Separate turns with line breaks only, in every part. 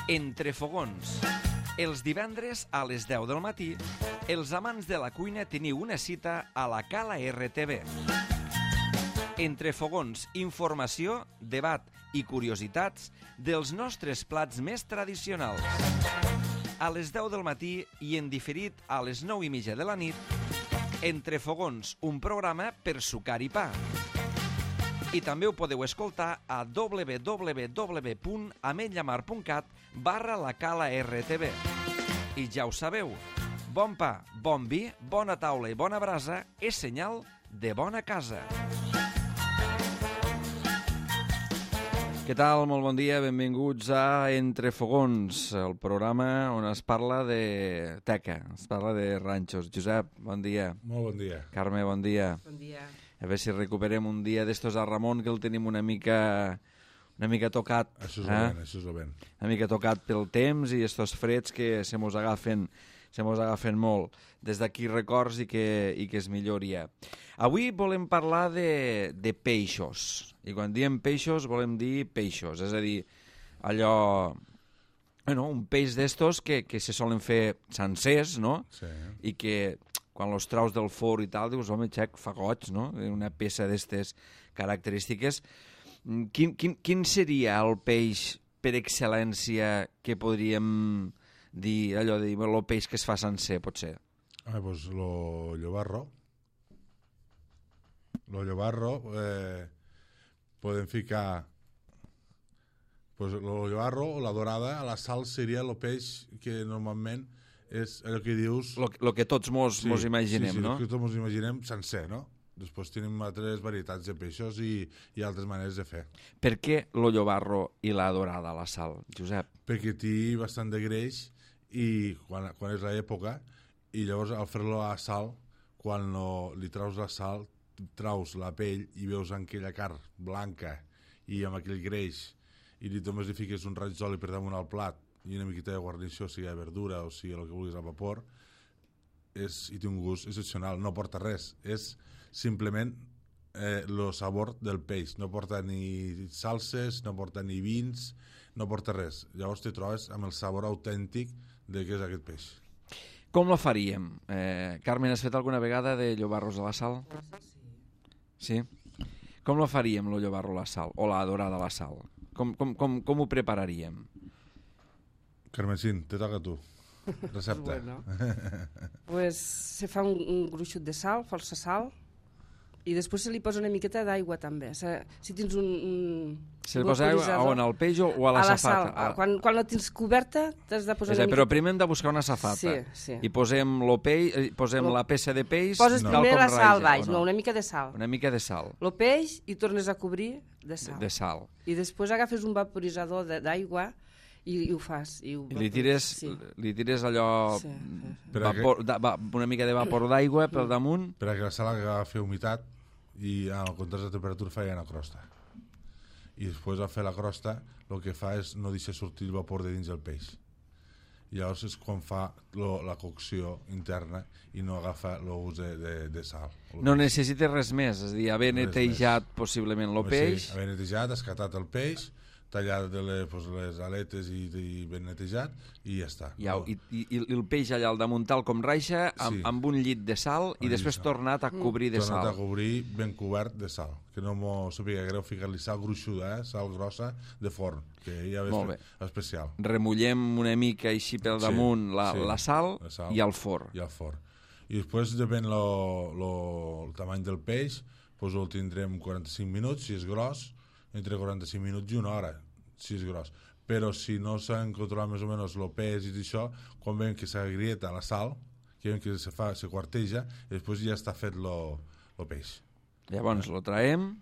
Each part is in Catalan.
Entre fogons. Els divendres a les 10 del matí, els amants de la cuina teniu una cita a la Cala RTV. Entre fogons, informació, debat i curiositats dels nostres plats més tradicionals. A les 10 del matí i en diferit a les 9:30 de la nit, Entre fogons, un programa per sucar i pa. I també ho podeu escoltar a www.ametlllamar.cat/la Cala RTV. I ja ho sabeu, bon pa, bon vi, bona taula i bona brasa és senyal de bona casa. Què tal? Molt bon dia, benvinguts a Entre fogons, el programa on es parla de teca, es parla de ranxos. Josep, bon dia.
Molt bon dia.
Carme, bon dia.
Bon dia.
A veure si recuperem un dia d'estos a Ramon, que el tenim una mica tocat.
Això és el vent.
Una mica tocat pel temps i estos freds que se mos agafen molt. Des d'aquí records i que es milloria. Avui volem parlar de peixos. I quan diem peixos volem dir peixos. És a dir, allò... Bueno, un peix d'estos que se solen fer sencers, no?
Sí.
I que quan los traus del forn i tal, dius, home, xec, fa goig, no? Una peça d'estes característiques. Quin seria el peix per excel·lència que podríem dir, allò de dir, el peix que es fa sencer, potser?
Doncs lo llobarro. Lo llobarro, podem ficar... Pues lo llobarro o la dorada, a la sal seria el peix que normalment és allò que dius...
Lo que tots mos imaginem, no?
Sí, el que tots mos imaginem sencer, no? Després tenim altres varietats de peixos i altres maneres de fer.
Per què lo llobarro i la dorada a la sal, Josep?
Perquè té bastant de greix i quan és l'època, i llavors al fer-lo a la sal, quan li traus la sal, traus la pell i veus aquella carn blanca i amb aquell greix, i només li fiques un raig d'oli per damunt al plat i una miqueta de guarnició, sigui de verdura o sigui el que vulguis al vapor, i té un gust excepcional. No porta res, és simplement el sabor del peix. No porta ni salses, no porta ni vins, no porta res. Llavors te trobes amb el sabor autèntic de què és aquest peix.
Com lo faríem? Carmen, has fet alguna vegada de llobarros a la sal? Sí. Com lo faríem, lo llobarro a la sal? O la dorada a la sal? Com ho prepararíem?
Carmencín, te toca a tu. Recepta.
Bueno. Pues se fa un gruixut de sal, força sal, i després se li posa una miqueta d'aigua també. Si tens
se li posa aigua on, al peix o a la safata?
A la sal. Quan la tens coberta t'has de posar una miqueta...
Però primer hem de buscar una safata.
Sí.
I posem la peça de peix...
Poses primer la sal baix, no, una mica de sal.
Una mica de sal.
El peix i tornes a cobrir de sal.
De sal.
I després agafes un vaporitzador d'aigua i ho fas. I li
tires allò... una mica de vapor d'aigua pel damunt...
Perquè la sal agafa humitat i al contrast de temperatura fa una crosta. I després al fer la crosta el que fa és no deixar sortir el vapor de dins del peix. I llavors és quan fa la cocció interna i no agafa el gust de sal.
No necessites res més, és a dir, haver netejat possiblement el peix.
Sí, haver netejat, escatat el peix, tallat les aletes i ben netejat i ja està.
I el peix allà al damunt tal com raixa amb un llit de sal i després tornat a cobrir de sal.
Tornat a cobrir ben cobert de sal, que no m'ho sàpiga greu ficar-li sal gruixuda, sal grossa de forn, que ja és especial.
Remullem una mica així pel damunt la sal i al forn.
I després depèn el tamany del peix, doncs el tindrem 45 minuts, si és gros, entre 45 minuts i una hora, si és gros. Però si no s'han controlat més o menys el peix i això, quan veiem que s'agrieta la sal, que veiem que se quarteja, i després ja està fet el peix.
Llavors lo traiem,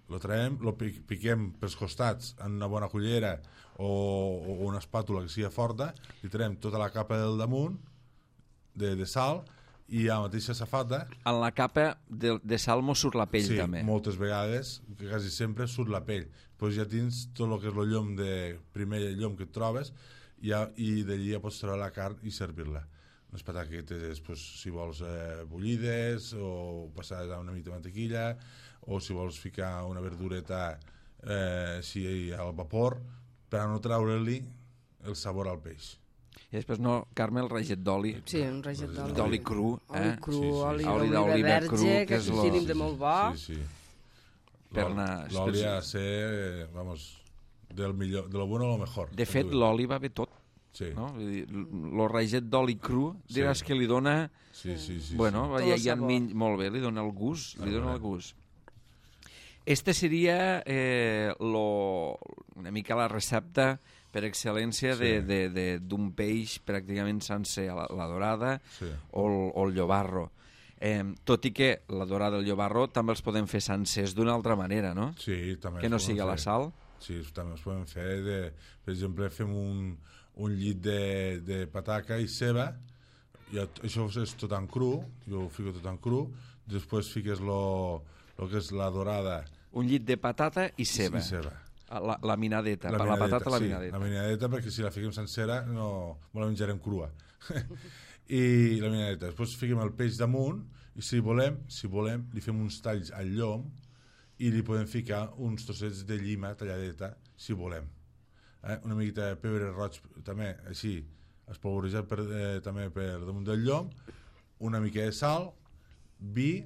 lo piquem pels costats en una bona cullera o una espàtula que sigui forta, i traiem tota la capa del damunt de sal i a la mateixa safata...
En la capa de sal mos surt la pell, també.
Sí, moltes vegades, quasi sempre surt la pell. Doncs ja tens tot el que és el llom primer llom que et trobes i d'allí ja pots treure la carn i servir-la. Les pataquetes, si vols bullides o passades a una mica de mantequilla, o si vols ficar una verdureta al vapor, per a no treure-li el sabor al peix.
I després, no, Carme, el raget d'oli.
Sí, un raget d'oli.
D'oli cru,
Oli cru,
Sí, sí.
oli
Oli
d'oliva
d'oliva
verge,
cru,
que
que és
aquí
lo-
tenim de molt bo.
Sí, sí.
Per anar...
L'oli ha de ser, vamos, del millor, de lo bueno a lo mejor.
De fet, l'oli va bé tot.
Sí,
No? Vull dir, el raget d'oli cru, diràs
Sí.
que li dona...
sí, sí. sí,
Bueno,
Tot
ja,
el
ja
sabor.
molt bé, li dona el gust, li dona el
veure.
gust. Este seria una mica la recepta per excel·lència
Sí.
d'un peix pràcticament sencer, la dorada
Sí.
o el llobarro. Tot i que la dorada i el llobarro també els podem fer sencers d'una altra manera, no?
Sí, també
Que
es
no
poden
sigui a la
fer.
sal.
Sí, també es poden fer, per exemple, fem un llit de pataca i ceba, i això és tot en cru, jo ho fico tot en cru, després fiques lo que és la dorada
Un llit de patata i ceba.
i ceba.
La minadeta, la patata, la
sí,
minadeta.
la minadeta, perquè si la fiquem sencera no la menjarem crua. I la minadeta. Després fiquem el peix damunt i si volem, li fem uns talls al llom i li podem ficar uns trossets de llima talladeta, si volem. Una miqueta de pebre roig també, així, espolvorejat també per damunt del llom, una mica de sal, vi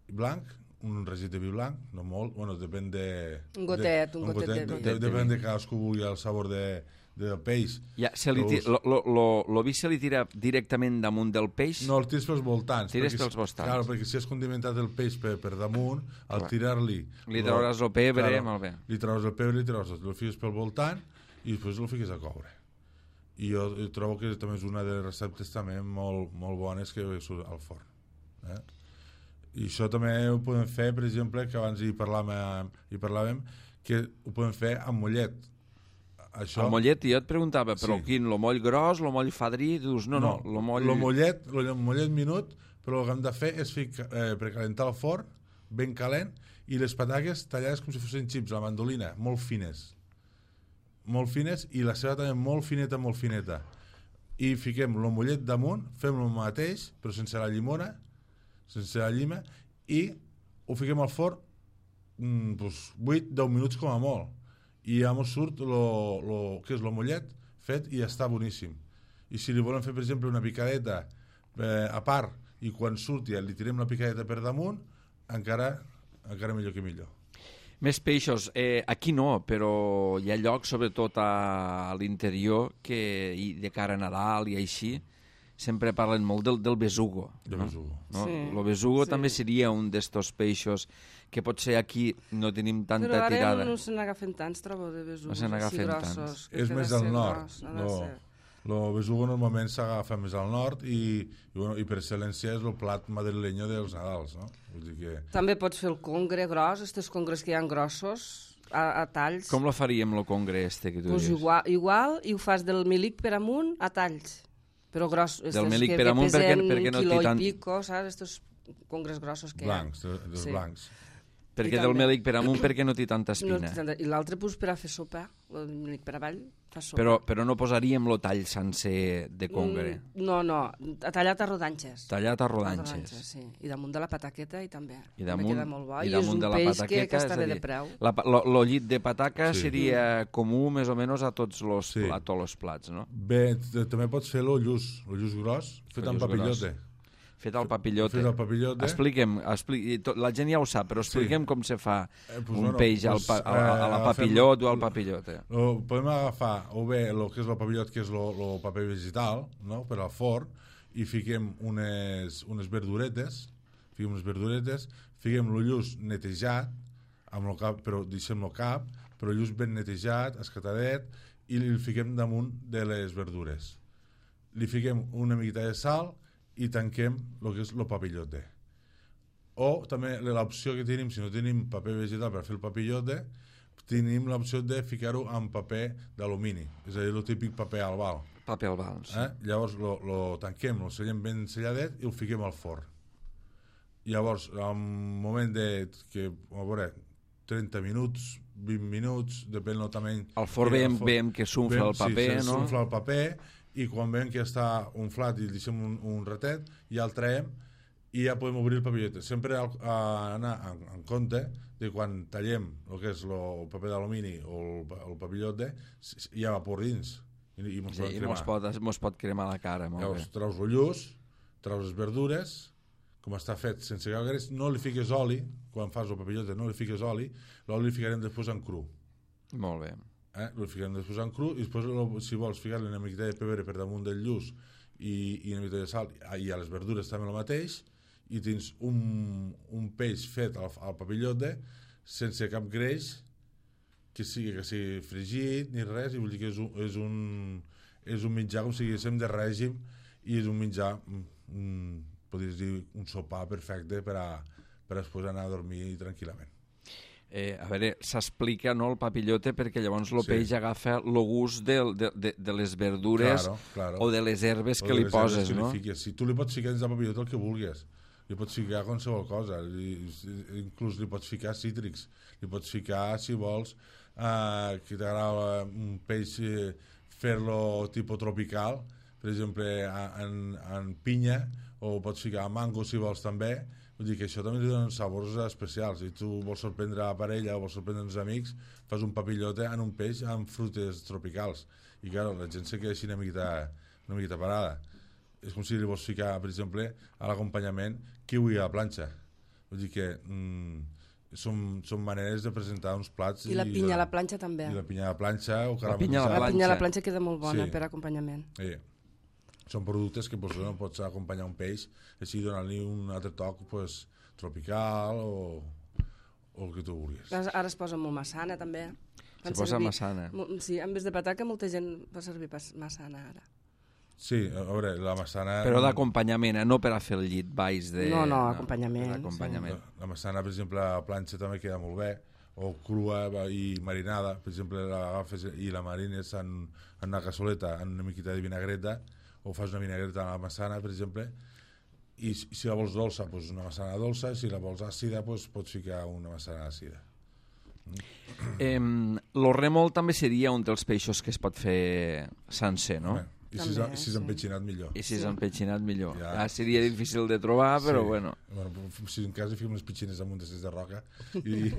blanc, un regit de vi blanc, no molt, bueno, depèn de...
Un gotet de vi.
Depèn de cadascú vulgui el sabor del peix.
Ja, lo vi se li tira directament damunt del peix?
No, el tires pels voltants.
Tires pels voltants.
Clar, perquè si has condimentat el peix per damunt, al
Clar.
tirar-li...
Li trauràs el pebre, molt bé.
Li trauràs el pebre, li trauràs el fiques pel voltant i després el fiques a coure. I jo trobo que també és una de les receptes també molt, molt bones que surt al forn. I això també ho podem fer, per exemple, que abans hi parlàvem, que ho podem fer amb mollet. Això...
El mollet, jo et preguntava, però
Sí.
quin, lo moll gros, lo moll fadrí? Dius, no, lo moll...
El mollet minut, però el que hem de fer és precalentar el forn, ben calent, i les pataques tallades com si fossin xips, la mandolina, molt fines. Molt fines, i la ceba també molt fineta. I fiquem el mollet damunt, fem el mateix, però sense la llimona, sense la llima, i ho fiquem al forn 8-10 minuts com a molt. I ja mos surt que és el mollet fet i ja està boníssim. I si li volem fer, per exemple, una picadeta a part i quan surti li tirem la picadeta per damunt, encara millor que millor.
Més peixos. Aquí no, però hi ha llocs, sobretot a l'interior, que de cara a Nadal i així, sempre parlen molt del besugo.
De besugo.
No?
Sí,
El besugo
sí.
també seria un d'estos peixos que potser aquí no tenim tanta
Però ara
tirada.
no se n'agafen tants, trobo, de besugos.
No se n'agafen
grossos,
tants.
que
És
ha de
més
ser
al nord.
gros, ha de ser.
El besugo normalment s'agafa més al nord i per excel·lència és el plat madrileño dels Nadals, no? Vull dir que...
També pots fer el congre gros, estos congres que hi ha grossos, a talls.
Com la faríem, el congre este que tu
Pues
dius?
igual, i ho fas del milic per amunt a talls. Però gros.
Del milic per amunt perquè no
un
té
quiló
tant-
i pico, saps? Estos congres grossos que
Blancs,
hi ha.
dels
Sí.
blancs.
Perquè
I
del
també-
melic per amunt perquè no té tanta
No,
espina.
I l'altre pues, per a fer sopa, el milic per avall, fa sopa.
Però no posaríem lo tall sencer de congre.
No, tallat a rodanxes.
Tallat a rodanxes.
Sí. I damunt de la pataqueta i també.
I
També
damunt,
queda molt bo.
i
I és
damunt
un
de la
peix
pataqueta,
que està
és a
bé
dir,
de preu.
lo llit de pataca
Sí.
seria comú més o menys a tots los,
Sí.
a tots els plats, no?
Bé, també pots fer el lluç gros, fet
El
amb
lluç
papillote.
Fet al papillote.
Fet al papillote.
La gent ja ho sap, però expliquem com se fa
Pues
un peix a la
agafem-
papillot o al papillote.
Podem agafar o bé el que és el papillot, que és el paper vegetal, no?, per al forn, i fiquem unes verduretes, fiquem el lluç netejat, amb el cap, però deixem el cap, però el lluç ben netejat, escatadet, i el fiquem damunt de les verdures. Li fiquem una miqueta de sal i tanquem el que és el papillote. O també l'opció que tenim, si no tenim paper vegetal per fer el papillote, tenim l'opció de ficar-ho en paper d'alumini, és a dir, el típic paper albal.
Paper albal, sí.
Llavors lo tanquem, lo sellem ben selladet i el fiquem al forn. Llavors, en un moment que, a veure, 30 minuts, 20 minuts, depèn del tamany...
Al forn veiem que s'unfla el paper,
sí,
no?
s'unfla el paper, i quan veiem que està unflat i el deixem un ratet, ja el traiem i ja podem obrir el papillote. Sempre anar en compte de quan tallem el que és el paper d'alumini o el papillote, hi ha vapor dins, i mos
Sí,
poden
i
cremar.
mos pot cremar la cara, molt
Llavors,
bé.
traus el lluç, traus les verdures, com està fet sense cap greix, no li fiques oli, quan fas el papillote no li fiques oli, l'oli li ficarem després en cru.
Molt bé.
Li ficarem després en cru i després, si vols, ficar-li una miqueta de pebre per damunt del lluç i una miqueta de sal, i a les verdures també el mateix, i tens un peix fet al papillote sense cap greix, que sigui fregit ni res, i vull dir que és un menjar com si diguéssim de règim, i és un menjar podries dir un sopar perfecte per a després anar a dormir tranquil·lament.
A veure, s'explica, no, el papillote, perquè llavors el
Sí.
peix agafa el gust de les verdures
Claro.
o de les herbes
O
que
de
li
les
poses,
herbes que
no?
li fiques. Si tu li pots ficar dins del papillote el que vulguis, li pots ficar qualsevol cosa, inclús li pots ficar cítrics, li pots ficar, si vols, que t'agrada un peix, fer-lo tipus tropical, per exemple, en pinya, o pots ficar mango si vols també. Vull dir que això també li donen sabors especials. Si tu vols sorprendre la parella o vols sorprendre els amics, fas un papillote en un peix amb frutes tropicals. I clar, la gent se queda així una miqueta parada. És com si li vols ficar, per exemple, a l'acompanyament kiwi a la planxa. Vull dir que són maneres de presentar uns plats.
I la pinya a la planxa també.
I la pinya a la planxa o
La pinya a
caramelitzada.
La pinya a la planxa queda molt bona
Sí.
per acompanyament.
Són productes que no pots acompanyar un peix, així donant-li un altre toc tropical o el que tu vulguis.
Ara es posa molt massana també.
Se posa massana.
Sí, en vez de pataca molta gent fa servir massana ara.
Sí, a veure, la massana...
Però d'acompanyament, no per a fer el llit baix de...
No, acompanyament,
Per acompanyament.
La massana, per exemple, a la planxa també queda molt bé, o crua i marinada, per exemple, l'agafes i la marines en una cassoleta, en una miqueta de vinagreta, o fas una vinagreta a la massana, per exemple, i si la vols dolça, doncs una massana dolça, si la vols àcida, doncs pots ficar una massana àcida.
Lo rèmol també seria un dels peixos que es pot fer sencer, no?
Home, i
També,
si s'ha empetxinat millor.
I si s'ha empetxinat millor.
Ja.
Ja seria difícil de trobar, però bueno.
Si en cas hi fiquem unes petxines amunt de roca i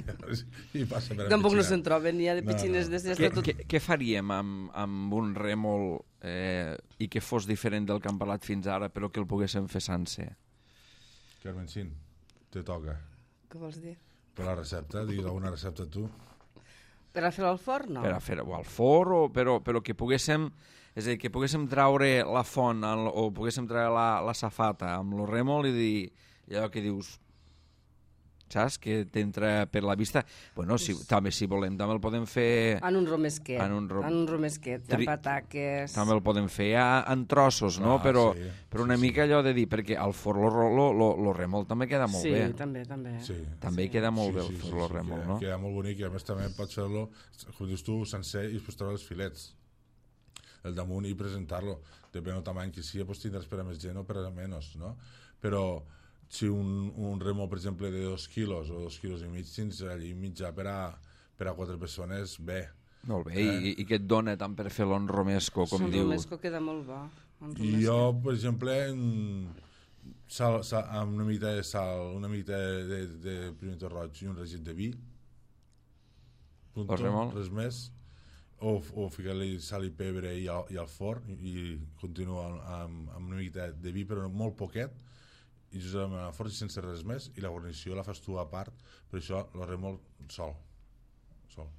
passa per
Tampoc no
empetxinar.
se'n troben, n'hi ha de petxines de
Què faríem amb un rèmol i que fos diferent del que hem parlat fins ara, però que el poguéssim fer sencer?
Carmencín, te toca.
Què vols dir?
Per la recepta, digues alguna recepta tu.
Per a fer-ho al forn, no?
Per a fer-ho al forn, però que poguéssim... És a dir, que poguéssim traure la font o poguéssim treure la safata amb el rèmol i dir allò que dius, saps? Que t'entra per la vista. Bueno, també si volem, també el podem fer...
En un romesquet.
En un
romesquet, amb pataques...
També el podem fer en trossos, no? Però una mica allò de dir, perquè al forn lo rèmol també queda molt bé.
Sí, també.
Sí.
També queda molt bé el forn lo rèmol, no?
Queda molt bonic i a més també pots fer-lo, com dius tu, sencer i després treure els filets el damunt i presentar-lo. Depèn del tamany que sigui, doncs tindràs per a més gent o per a menys, no? Però si un rèmol, per exemple, de 2 quilos o 2 quilos i mig, tens allí mitjà per a 4 persones, bé.
Molt bé, i què et dona tant per fer-lo en romesco, com dius?
El romesco queda molt bo.
I jo, per exemple, amb una mica de sal, una mica de pimiento roig i un regit de vi, res més, o ficar-li sal i pebre i al forn i continuar amb una mica de vi, però molt poquet, i just amb el forn sense res més, i la guarnició la fas tu a part, per això el rèmol sol.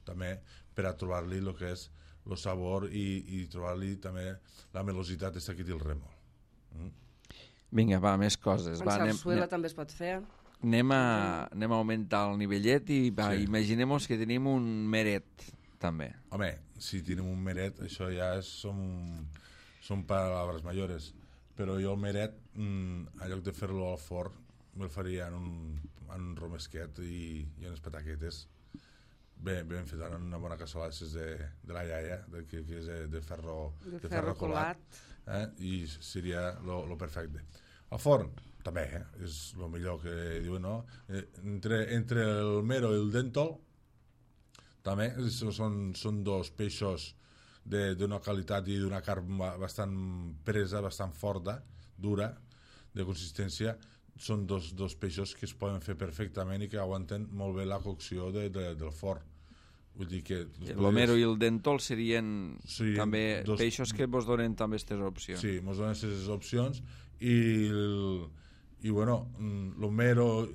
També per a trobar-li el que és el sabor i trobar-li també la melositat que té el rèmol.
Vinga, va, més coses.
En sarsuela també es pot fer.
Anem a augmentar el nivellet i imaginem-nos que tenim un meret, també.
Home, si tenim un meret, això ja són paraules mayores. Però jo el meret, en lloc de fer-lo al forn, me'l faria en un romesquet i unes pataquetes ben fet, en una bona cassola de la iaia, que és de ferro colat. I seria lo perfecte. Al forn, també, és el millor que diuen, no? Entre el mero i el dèntol, també són dos peixos d'una qualitat i d'una carn bastant presa, bastant forta, dura, de consistència. Són dos peixos que es poden fer perfectament i que aguanten molt bé la cocció del forn. Vull dir que...
L'omero i el dentol serien també peixos que vos donen també aquestes opcions.
Sí, mos donen aquestes opcions i bueno, l'omero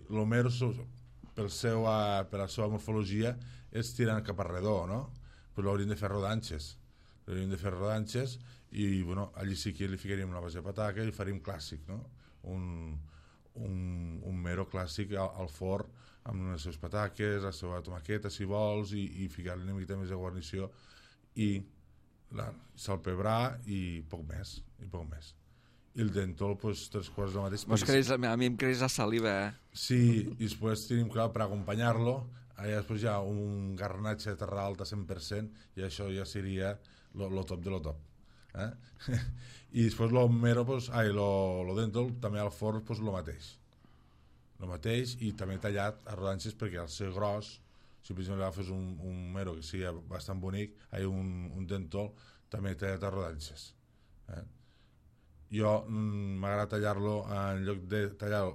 per la seva morfologia és tirant cap a redó, no? Però l'hauríem de fer rodanxes. I bueno, allí sí que li ficaríem una base de pataca i faríem clàssic, no? Un mero clàssic al forn amb les seves pataques, la seva tomaqueta si vols i ficar-li una miqueta més de guarnició i salpebrar i poc més. I el dentol, pues, 3 quarts del mateix.
A mi em creix la saliva,
Sí, i després tenim clar per acompanyar-lo, allà després hi ha un garnatge de terra alta 100% i això ja seria lo top de lo top. I després lo dentol també al forn pues, lo mateix i també tallat a rodanxes perquè al ser gros, si per exemple agafes un mero que sigui bastant bonic, un dentol també tallat a rodanxes. Jo m'agrada tallar-lo en lloc de tallar-lo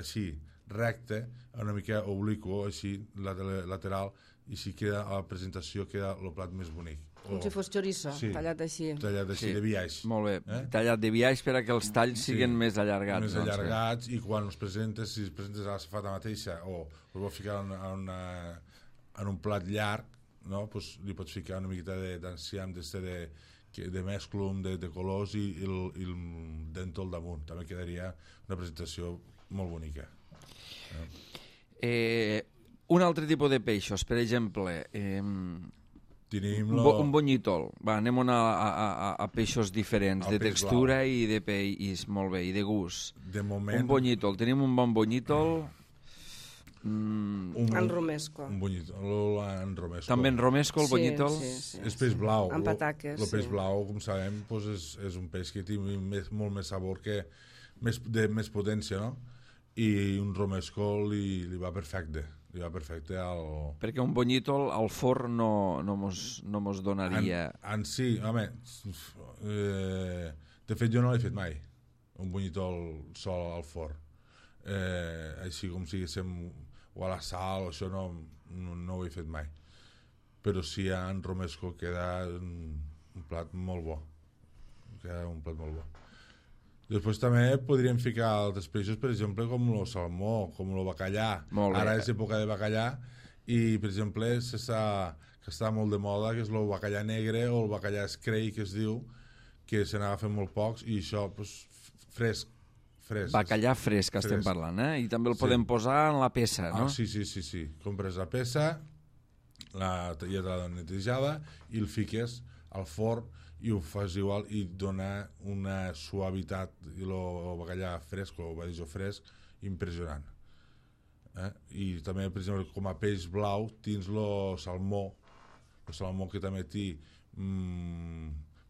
així recte, una mica obliquo així lateral i si queda a la presentació queda el plat més bonic.
Com si fos chorizo, tallat així.
Tallat així, de biaix.
Molt bé, tallat de biaix per a que els talls siguin més allargats.
Més allargats i quan els presentes, si els presentes a la safata mateixa o els vols ficar en un plat llarg, no? Pues li pots ficar una miqueta d'enciam de mesclum, de colors i el dentol damunt. També quedaria una presentació molt bonica.
Un altre tipus de peixos, per exemple... un bonyítol. Va, anem a peixos diferents, de textura i de peix, molt bé, i de gust.
De moment...
Un bonyítol. Tenim un bon bonyítol...
En romesco.
Un bonyítol en romesco.
També en romesco, el bonyítol?
Sí.
És peix blau.
Amb pataques,
El peix blau, com sabem, és un peix que té molt més sabor, més potència, no? I un romesco li va perfecte.
Perquè un bonyítol al forn no mos donaria...
En sí, home, de fet jo no l'he fet mai, un bonyítol sol al forn. Així com si diguéssim, o a la sal, això no ho he fet mai. Però sí, en romesco queda un plat molt bo. Després també podríem ficar altres peixos, per exemple, com el salmó, com el bacallà. Ara és època de bacallà i, per exemple, que està molt de moda, que és el bacallà negre o el bacallà escrei, que es diu, que se n'agafen molt pocs i això, pues, fresc.
Bacallà fresc, estem parlant, I també el podem posar en la peça, no?
Sí. Compres la peça, ja l'ha netejada i el fiques al forn i ho fas igual i dona una suavitat i el bacallà fresc o badigeó fresc impressionant. I també, per exemple, com a peix blau tens el salmó que també té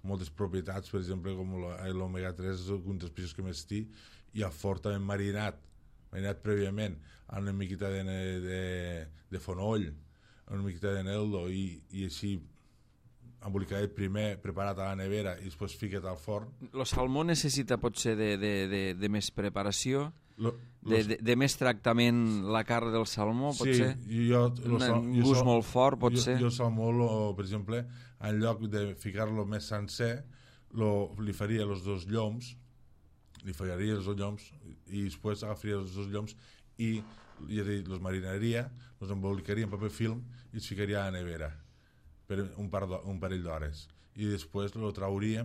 moltes propietats, per exemple, com l'omega-3 és un dels peixos que més té, i el forn també marinat prèviament amb una miqueta de fonoll, una miqueta de neldo i així embolicadet primer, preparat a la nevera i després ficat al forn.
El salmó necessita potser de més preparació, de més tractament la carn del salmó, potser?
Sí,
un gust molt fort, potser?
Jo el salmó, per exemple, en lloc de ficar-lo més sencer, li faria els dos lloms, i després agafaria els dos lloms i els marinaria, els embolicaria en paper film i els ficaria a la nevera per un parell d'hores i després lo trauríem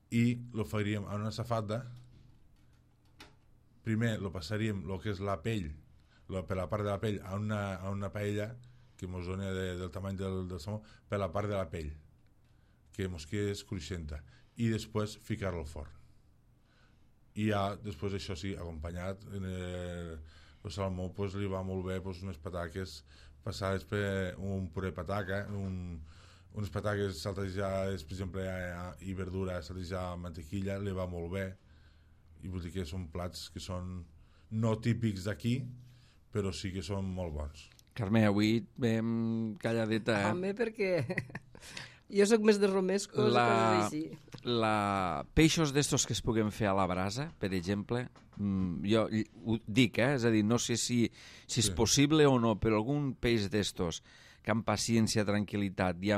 i lo faríem en una safata. Primer lo passaríem el que és la pell, per la part de la pell a una paella que mos doni del tamany del salmó, per la part de la pell que mos quedés cruixenta i després ficar-lo al forn i ja després això sí, acompanyat el salmó pues, li va molt bé pues, unes pataques passades per un puré pataca, unes pataques saltejades, per exemple, i verdura saltejada amb mantequilla, li va molt bé. I vull dir que són plats que són no típics d'aquí, però sí que són molt bons.
Carme, avui vam calladeta,
Home, perquè jo sóc més de romescos i coses així.
Peixos d'estos que es puguem fer a la brasa, per exemple, jo ho dic, és a dir, no sé si és possible o no, però algun peix d'estos que amb paciència, tranquil·litat i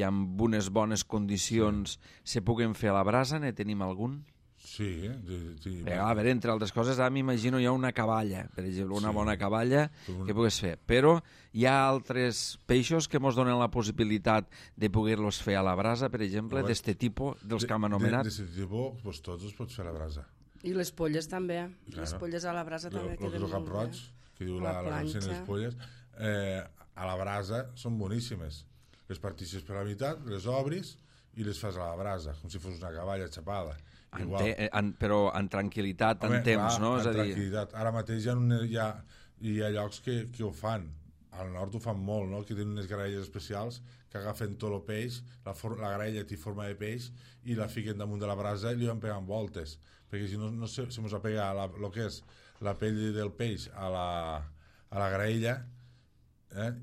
amb unes bones condicions se puguen fer a la brasa, ne tenim algun?
Sí.
A veure, entre altres coses, m'imagino hi ha una caballa, per exemple, una bona caballa que pugues fer. Però hi ha altres peixos que ens donen la possibilitat de poder-los fer a la brasa, per exemple, d'este tipus, dels que hem anomenat.
D'este tipus, doncs tots els pots fer a la brasa.
I les polles també. Les polles a la brasa també queden
El cap roig, que diu la canció de les polles, a la brasa són boníssimes. Les partixes per la meitat, les obris i les fas a la brasa, com si fos una caballa xapada.
Però en tranquil·litat, en temps, no?
En tranquil·litat. Ara mateix hi ha llocs que ho fan. Al nord ho fan molt, no? Que tenen unes graelles especials que agafen tot el peix, la graella té forma de peix i la fiquen damunt de la brasa i li van pegant voltes. Perquè si no se mos apega el que és la pell del peix a la graella,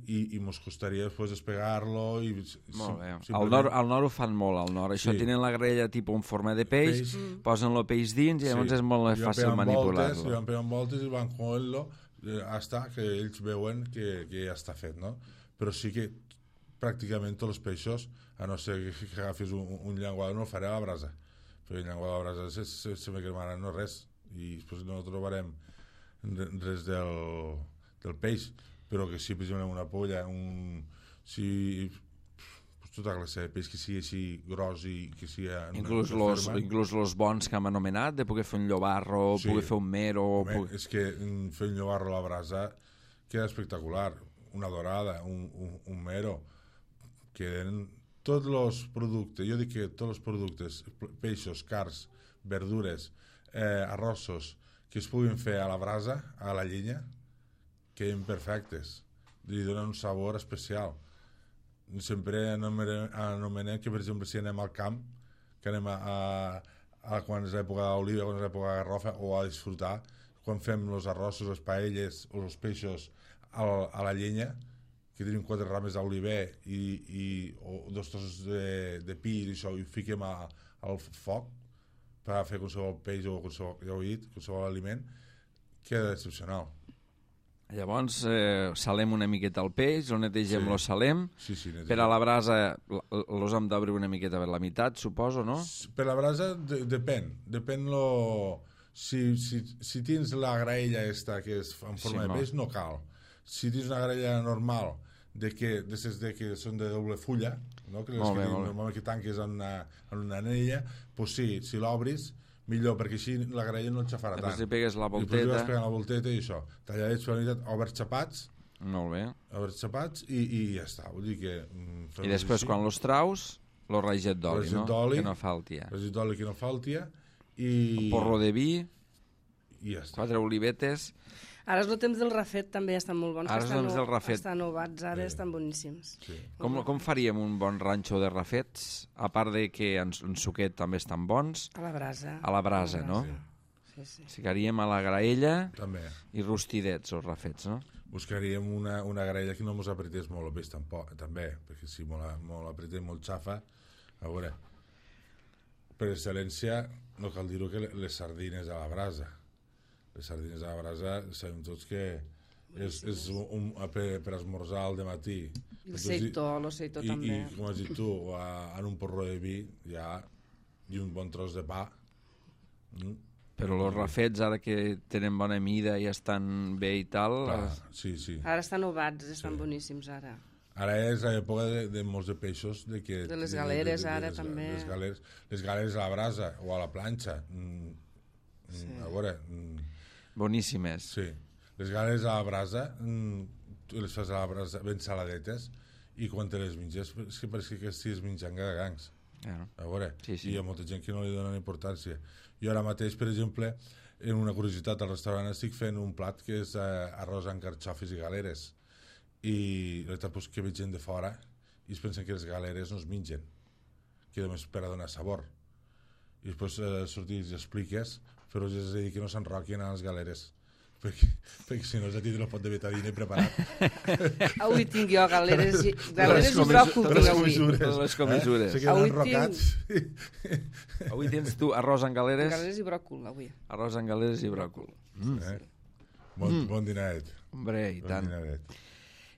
i mos costaria després despegar-lo.
Molt bé. Al nord ho fan molt, al nord. Això tenen la graella tipus en forma de peix, posen el peix dins i llavors és molt fàcil manipular-lo.
Li van pegant voltes i van coent-lo hasta que ells veuen que ja està fet, no? Però sí que pràcticament tots els peixos, a no ser que agafis un llenguado, no el faré a la brasa. Perquè el llenguado a la brasa se me cremaran, no res. I després no trobarem res del peix. Però que sí, per exemple, una polla, tota classe de peix que sigui així gros i que sigui...
Inclús els bons que hem anomenat, de poder fer un llobarro, poder fer un mero...
És que fer un llobarro a la brasa queda espectacular. Una dorada, un mero, queden tots els productes, jo dic que tots els productes, peixos, carns, verdures, arrossos, que es puguin fer a la brasa, a la llenya, queden perfectes, li donen un sabor especial. Sempre anomenem que, per exemple, si anem al camp, que anem quan és l'època d'oliva, quan és l'època de garrofa, o a disfrutar, quan fem els arrossos, les paelles o els peixos a la llenya, que tenim 4 rames d'oliver o 2 trossos de pi i això, i ho fiquem al foc per fer qualsevol peix o qualsevol aliment, queda excepcional.
Llavors salem una miqueta el peix, lo netegem, lo salem. Per a la brasa los hem d'obrir una miqueta per la meitat, suposo, no?
Per la brasa depèn. Si tens la graella esta que és en forma de peix, no cal. Si tens una graella normal de que són de doble fulla, no? Que normalment que tanques en una anella, doncs sí, si l'obris millor, perquè així la graella no et xafarà tant.
Després li pegues la volteta.
Després li vas pegant la volteta i això. Talladets per la meitat, oberts xapats.
Molt bé.
Oberts xapats i ja està. Vull dir que...
I després, quan los traus, lo raget d'oli, no? Que no falti.
Raget d'oli que no falti. I...
Porro de vi.
I ja està.
4 olivetes.
Ara és el temps del rafet, també estan molt bons.
Ara és el temps del rafet.
Estan ovats, ara estan boníssims.
Sí.
Com faríem un bon ranxo de rafets? A part de que en suquet també estan bons.
A la brasa.
A la brasa, no?
Sí.
Ficaríem a la graella
també.
I rostidets, els rafets, no?
Buscaríem una graella que no mos apretés molt el peix també, perquè si molt apretem, molt xafa, a veure, per excel·lència, no cal dir-ho, que les sardines a la brasa. Les sardines a la brasa sabem tots que és per esmorzar al dematí.
El seitó també.
I com has dit tu, en un porró de vi i un bon tros de pa.
Però els rafets, ara que tenen bona mida i estan bé i tal...
Sí.
Ara estan ovats, estan boníssims, ara.
Ara és l'època de molts de peixos. De
les galeres, ara, també.
Les galeres a la brasa o a la planxa. A veure...
Boníssimes.
Sí. Les galeres a la brasa, tu les fas a la brasa ben saladetes i quan te les menges és que pareix que estigues menjant gagagangs. A veure,
sí.
I hi ha molta gent que no li dona importància. Jo ara mateix, per exemple, en una curiositat al restaurant estic fent un plat que és arròs amb carxofes i galeres. I la veritat és que veig gent de fora i es pensen que les galeres no es mengen, que només per a donar sabor. I després sortir i expliques, però és a dir que no s'enroquin a les galeres, perquè si no ja tindré el pot de betadina preparat.
Avui tinc jo galeres i bròcol.
Les comissures.
Se queden enrocats.
Avui tens tu arròs amb galeres?
Galeres i bròcol, avui.
Arròs amb galeres i bròcol.
Bon dinaret.
Hombre, i tant.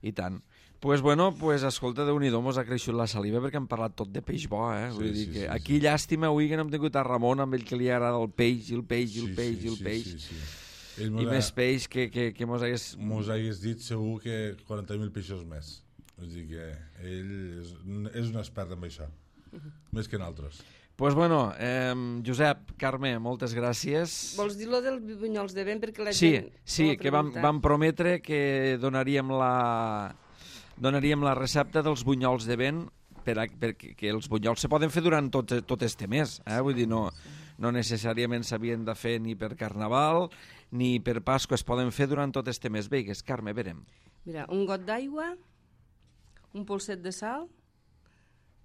I tant. Pues bueno, escolta, Déu-n'hi-do, mos ha creixut la saliva perquè hem parlat tot de peix bo, eh? Vull dir que aquí llàstima avui que no hem tingut a Ramon amb ell que li agrada el peix, i el peix. I més peix que mos hagués...
Mos hagués dit segur que 40.000 peixos més. Vull dir que ell és un expert en això, més que nosaltres.
Pues bueno, Josep, Carme, moltes gràcies.
Vols dir-lo dels bunyols de vent? Perquè la
gent... Sí, que vam prometre que donaríem la recepta dels bunyols de vent perquè els bunyols se poden fer durant tot este mes. Vull dir, no necessàriament s'havien de fer ni per Carnaval ni per Pasqua, es poden fer durant tot este mes. Veigues, Carme, verem.
Mira, un got d'aigua, un polset de sal,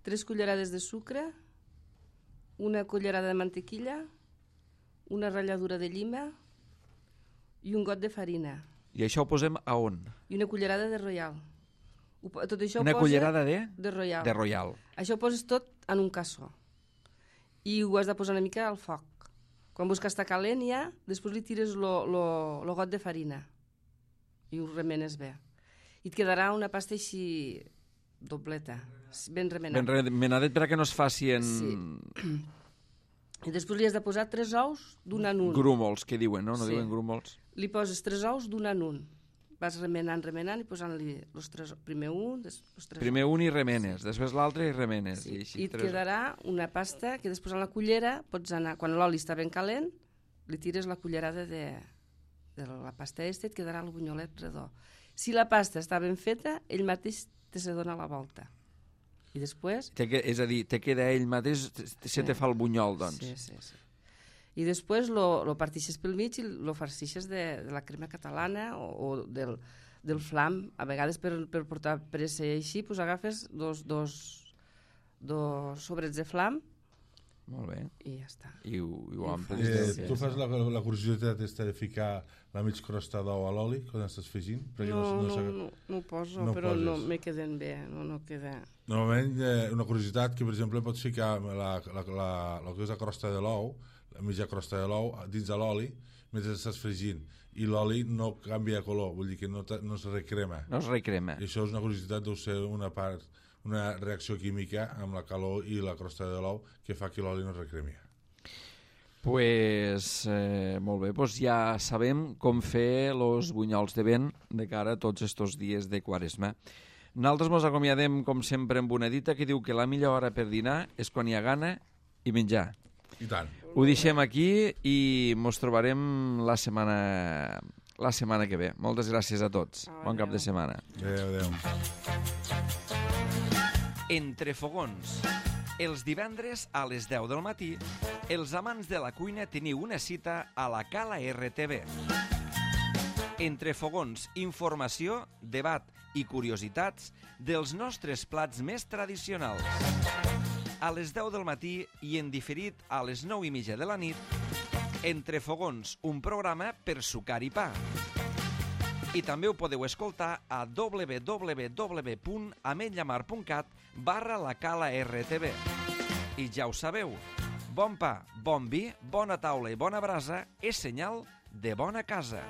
3 cullerades de sucre, una cullerada de mantequilla, una ratlladura de llima i un got de farina.
I això ho posem a on?
I una cullerada de Royal. Tot això
una cullerada de?
De Royal.
De Royal.
Això ho poses tot en un cassó. I ho has de posar una mica al foc. Quan veus que està calent ja, després li tires el got de farina i ho remenes bé. I et quedarà una pasta així dobleta, ben remenada.
Ben remenadet perquè no es faci en...
Sí. I després li has de posar 3 ous d'un en un.
Grúmols, que diuen, no? No
sí.
Diuen grúmols.
Li poses 3 ous d'un en un. Vas remenant i posant-li els 3... Primer un,
Primer un i remenes, després l'altre i remenes.
Sí. I et quedarà una pasta que després a la cullera pots anar... Quan l'oli està ben calent, li tires la cullerada de la pasta i et quedarà el bunyolet redó. Si la pasta està ben feta, ell mateix se dona la volta. I després...
És a dir, te queda ell mateix, se te fa el bunyol, doncs.
Sí. I després lo partixes pel mig i lo farcixes de la crema catalana o del flam. A vegades per portar pressa i així, pues agafes dos sobrets de flam.
Molt bé.
I ja està.
I ho amplis.
Tu fas la curiositat de ficar la mig crosta d'ou a l'oli quan estàs fregint?
No ho poso, però no me queden bé. No queda...
Normalment, una curiositat que, per exemple, pots ficar la que és la crosta de l'ou, la mitja crosta de l'ou, dins de l'oli, mentre estàs fregint. I l'oli no canvia de color, vull dir que no es recrema.
No es recrema.
I això és una curiositat, deu ser una reacció química amb la calor i la crosta de l'ou que fa que l'oli no es recremi.
Pues, molt bé, pues ja sabem com fer els bunyols de vent de cara a tots estos dies de Quaresma. Nosaltres ens acomiadem, com sempre, amb una dita que diu que la millor hora per dinar és quan hi ha gana i menjar.
I tant.
Ho deixem aquí i ens trobarem la setmana que ve. Moltes gràcies a tots. Bon cap de setmana.
Adéu.
Entre fogons. Els divendres a les 10 del matí, els amants de la cuina teniu una cita a la Cala RTV. Entre fogons, informació, debat i curiositats dels nostres plats més tradicionals. A les 10 del matí i en diferit a les 9:30 de la nit, Entre fogons, un programa per sucar i pa. I també ho podeu escoltar a www.ametlllamar.cat/la Cala RTV. I ja ho sabeu, bon pa, bon vi, bona taula i bona brasa és senyal de bona casa.